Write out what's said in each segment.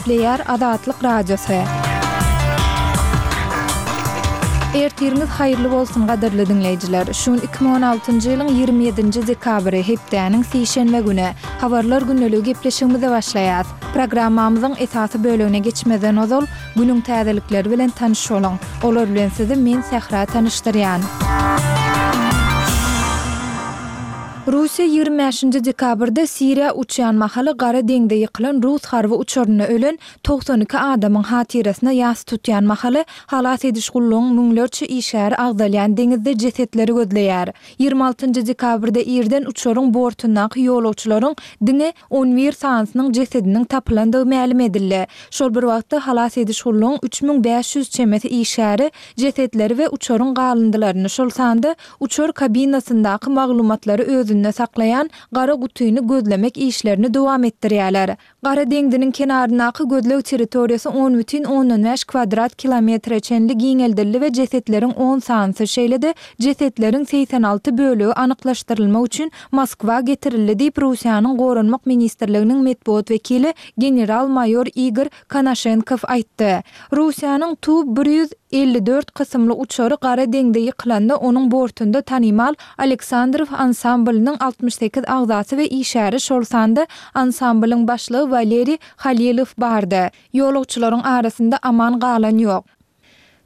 Gepleýär Azatlyk Radiosy. Ertiriňiz haýyrly bolsun gadyrly diňleýjiler. Şu gün 2016-njy ýylyň 27-nji dekabry, hepdäniň sişenbe güni. Habarlar gündeligi gepleşigimize başlaýas. Programmamyzyň esasy bölegine geçmezden ozal, günüň täzelikleri bilen tanyş boluň. Olar bilen sizi men Sähra tanyşdyrýan. Russiýa 25-nji dekabrda Siriýa uçýan mahaly Gara deňze ýykylan rus harby uçarynda ölen 92 adamyň hatyrasyna ýas tutýan mahaly, halas ediş gullugyň müňlerçe işgäri agzalýan deňizde jesetleri gözleýär. 26-njy dekabrda irden uçaryň bortundaky ýolagçylaryň diňe 11 sanysynyň jesediniň tapylandygy mälim edildi. Şol bir wagtda, halas ediş gullugyň 3500 çemesi işgäri jesetleri we uçaryň galyndylaryny, şol sanda uçar kabinasyndaky maglumatlary özünde saklaýan gara gutyny gözlemek işlerini dowam etdirýärler. Gara deňziniň kenaryndaky gözleg territoriýasy 10,5 kwadrat kilometre çenli giňeldildi we jesetleriň on sanysy, şeýle-de jesetleriň 86 bölegi anyklaşdyrylmak üçin Moskwa getirildi diýip, Russiýanyň Goranmak ministrliginiň metbugat wekili general-maýor Igor Konaşenkow aýtdy. Russiýanyň Tu 154 kysymly uçary Gara deňze ýykylanda onuň bortunda tanymal Aleksandrow ansamblynyň 68 agzasy we işgäri, şol sanda ansamblyň başlygy Waleriý Halilow bardy. Ýolagçylaryň arasynda aman galan ýok.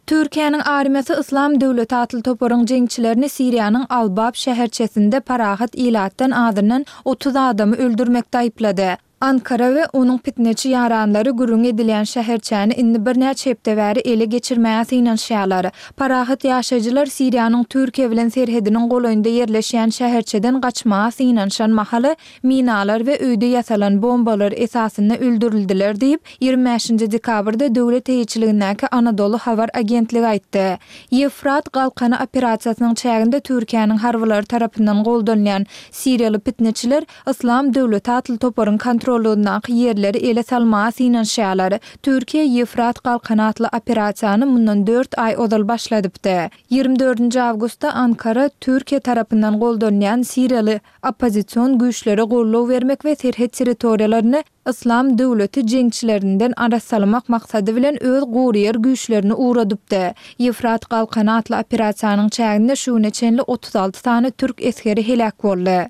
Türkiýäniň armiýasy Yslam döwleti atly toparyň jeňçilerini Siriýanyň Al-Bab şäherçesinde parahat ilatdan azyndan 30 adamy öldürmekde aýyplady. Ankara we onuň pitneçi ýaranlary gürrüň edilýän şäherçäni indi birnäçe hepde bäri ele geçirmäge synanyşýarlar. Parahat ýaşaýjylar Siriýanyň Türkiýe bilen serhediniň golaýynda ýerleşýän şäherçeden gaçmaga synanyşan mahaly minalar we öýde ýasalan bombalar esasynda öldürildiler diýip, 25-nji dekabrda döwlet eýeçiligindäki Anadolu habar agentligi aýtdy. Ýewfrat galkany operasiýasynyň çäginde Türkiýäniň harbylary tarapyndan goldanylýan siriýaly pitneçiler Yslam döwleti atly toparyň kontrollygyndaky ýerleri ele salmaga synanyşýarlar. Türkiýe Ýewfrat galkany atly operasiýany mundan dört aý ozal başladypdy. 24-nji awgustda Ankara Türkiýe tarapyndan goldanylýan siriýaly oppozision güýçlere goldaw bermek we serhet territoriýalaryny Yslam döwleti jeňçilerinden arassalamak maksady bilen öz guryýer güýçlerini ugradypdy. Ýewfrat galkany atly operasiýanyň çäginde şu güne çenli 36 sany türk esgeri heläk boldy.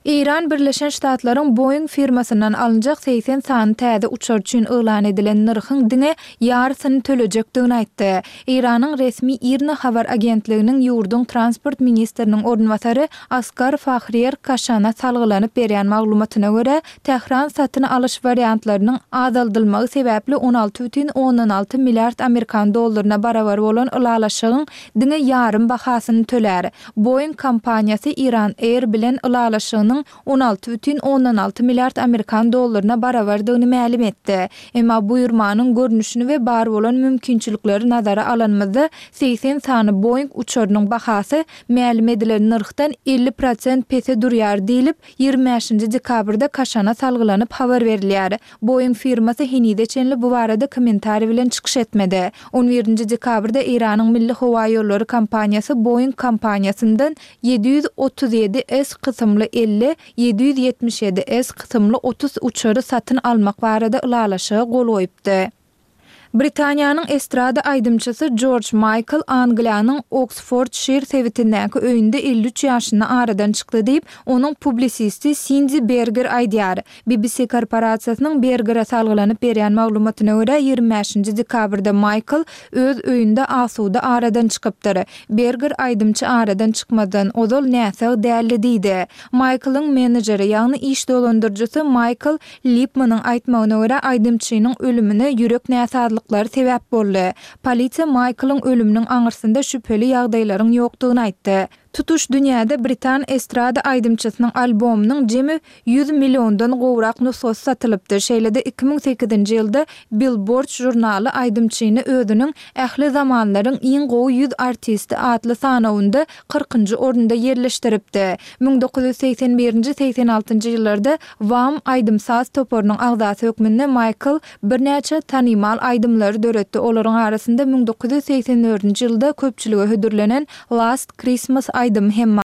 Eýran Birleşen Ştatlaryň Boeing firmasyndan alynjak 80 sany täze uçar üçin yglan edilen nyrhyň diňe ýarysyny tölejekdigini aýtdy. Eýranyň resmi IRNA habar agentliginiň ýurduň transport ministriniň orunbasary Asgar Fahriýer Kaşana salgylanyp berýän maglumatyna görä, Tähran satyn alyş wariantlarynyň azaldylmagy sebäpli 16,6 milliard amerikan dollaryna barabar bolan ylalaşygyň diňe ýarym bahasyny tölär. Boeing kompaniýasy Iran Air bilen ylalaşygynyň 16,6 milliard amerikan dollaryna barabardygyny mälim etdi. Emma buýurmanyň görnüşini we bar bolan mümkinçilikleri nazara alanymyzda, 80 sany Boeing uçarynyň bahasy mälim edilen nyrhdan 50 prosent pese durýar diýlip, 25-nji dekabrda Kaşana salgylanyp habar berilýär. Boeing firmasy henize çenli bu barada kommentariý bilen çykyş etmedi. On birinji dekabrda Eýranyň Milli howaýollary kompaniýasy Boeing kompaniýasyndan 737 S kysymly 50, 777 S kysymly 30 uçary satyn almak barada ylalaşyga gol goýupdy. Britaniýanyň estrada aýdymçysy Jorj Maýkl Angliýanyň Oksfordşir sebitindäki öýünde 53 ýaşynda aradan çykdy diýip, onuň publisisti Sindi Berger aýdýar. BBC korporasiýasynyň Bergere salgylanyp berýän maglumatyna görä, 25-nji dekabrda Maýkl öz öýünde asuda aradan çykypdyr. Berger aýdymçy aradan çykmazdan ozal näsag däldi diýdi. Maýklyň menejeri, ýagny iş dolandyryjysy Maýkl Lipmanyň aýtmagyna görä, aýdymçynyň ölümine ýürek näsazlyklary sebäp boldy. Polisiýa Maýklyň ölüminiň aňyrsynda şübheli ýagdaýlaryň ýokdugyny aýtdy. Tutuş dünýäde britan estrada aýdymçysynyň albomynyň jemi 100 milliondan gowrak nusgasy satylypdy. Şeýle-de 2008-nji ýylda Billboard žurnaly aýdymçyny özüniň Ähli zamanlaryň iň gowy 100 artisti atly sanawynda kyrkynjy orunda ýerleşdiripdi. 1981-nji, 86-njy ýyllarda Wham! aýdym-saz toparynyň agzasy hökmünde Maýkl birnäçe tanymal aýdymlary döretdi, olaryň arasynda 1984-nji ýylda köpçülige hödürlenen Last Christmas aýdymy hem bar.